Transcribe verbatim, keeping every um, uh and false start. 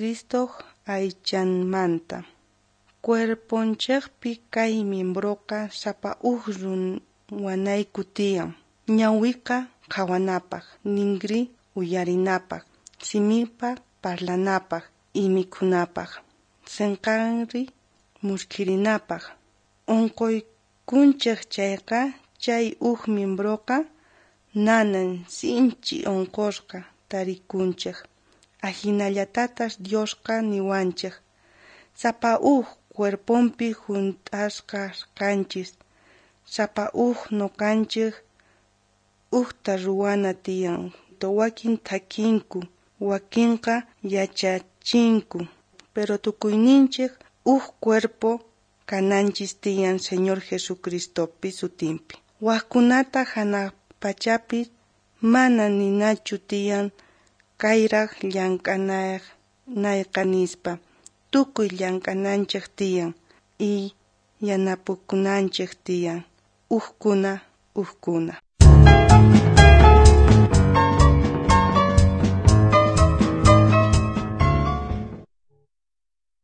Cristoj aychanmanta. Cuerponchejpi kay miembroqa sapa uj ruwanayku tiyan. Ñawiqa qhawanapaj, ningri uyarinapaj, simipa parlanapaj y mikhunapaj, senqanri muskhirinapaj. Onqoykunchej chayqa chay uj miembroqa nanan sinchi onqosqa tarikunchej. Ajinallatataj Diosqa niwanchej sapa uj cuerpompi junt'asqa kanchis, sapa uj noqanchej ujta ruwana tiyan. Wakin thakinku, wakinqa yachachinku, pero tukuyninchej uj cuerpo kananchis tiyan Señor Jesucristopi sutinpi. Wajkunata janaj pachapi mana ninachu tiyan kayraj llank'anayqa nispa. Tukuy llank'ananchej tiyan y yanapakunanchej tiyan ujkuna ujkuna.